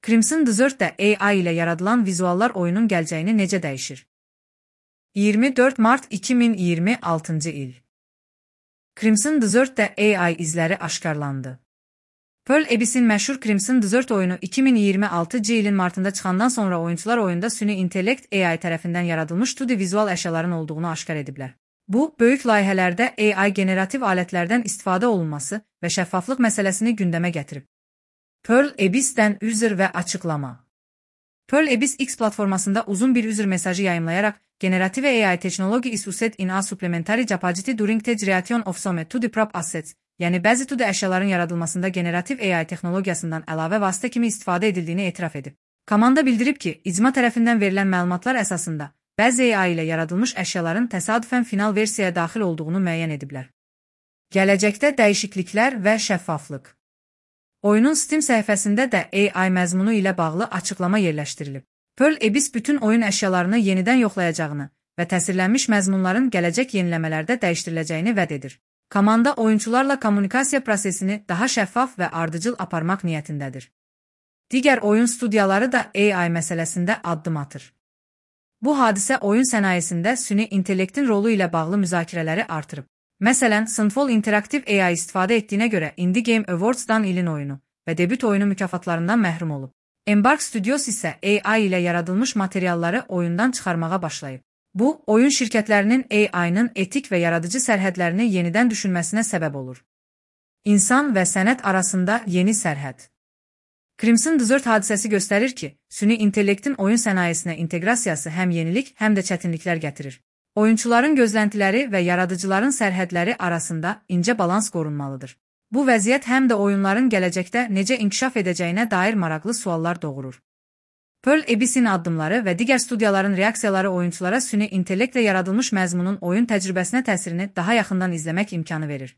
Crimson Desert-də AI ilə yaradılan vizuallar oyunun gələcəyini necə dəyişir? 24 mart 2026-cı il. Crimson Desert-də AI izləri aşkarlandı. Pearl Abyss'in məşhur Crimson Desert oyunu 2026-cı ilin martında çıxandan sonra oyunçular oyunda süni intellekt AI tərəfindən yaradılmış 2D vizual əşyaların olduğunu aşkar ediblər. Bu, böyük layihələrdə AI generativ alətlərdən istifadə olunması və şəffaflıq məsələsini gündəmə gətirib. Pearl Abyss-dən üzr və açıqlama. Pearl Abyss X platformasında uzun bir üzr mesajı yayımlayaraq, generativ AI technology is used in a supplementary capacity during the creation of some 2D prop assets, yəni bəzi 2D əşyaların yaradılmasında generativ AI texnologiyasından əlavə vasitə kimi istifadə edildiyini etiraf edib. Komanda bildirib ki, icma tərəfindən verilən məlumatlar əsasında, bəzi AI ilə yaradılmış əşyaların təsadüfən final versiyaya daxil olduğunu müəyyən ediblər. Gələcəkdə dəyişikliklər və şəffaflıq. Oyunun Steam səhifəsində də AI məzmunu ilə bağlı açıqlama yerləşdirilib. Pearl Abyss bütün oyun əşyalarını yenidən yoxlayacağını və təsirlənmiş məzmunların gələcək yeniləmələrdə dəyişdiriləcəyini vəd edir. Komanda oyunçularla kommunikasiya prosesini daha şəffaf və ardıcıl aparmaq niyyətindədir. Digər oyun studiyaları da AI məsələsində addım atır. Bu hadisə oyun sənayesində süni intellektin rolu ilə bağlı müzakirələri artırıb. Məsələn, Sunfall Interactive AI istifadə etdiyinə görə Indie Game Awards-dan ilin oyunu və debüt oyunu mükafatlarından məhrum olub. Embark Studios isə AI ilə yaradılmış materialları oyundan çıxarmağa başlayıb. Bu, oyun şirkətlərinin AI-nın etik və yaradıcı sərhədlərini yenidən düşünməsinə səbəb olur. İnsan və sənət arasında yeni sərhəd. Crimson Desert hadisəsi göstərir ki, süni intellektin oyun sənayesinə inteqrasiyası həm yenilik, həm də çətinliklər gətirir. Oyunçuların gözləntiləri və yaradıcıların sərhədləri arasında incə balans qorunmalıdır. Bu vəziyyət həm də oyunların gələcəkdə necə inkişaf edəcəyinə dair maraqlı suallar doğurur. Pearl Abyss-in addımları və digər studiyaların reaksiyaları oyunçulara süni intellektlə yaradılmış məzmunun oyun təcrübəsinə təsirini daha yaxından izləmək imkanı verir.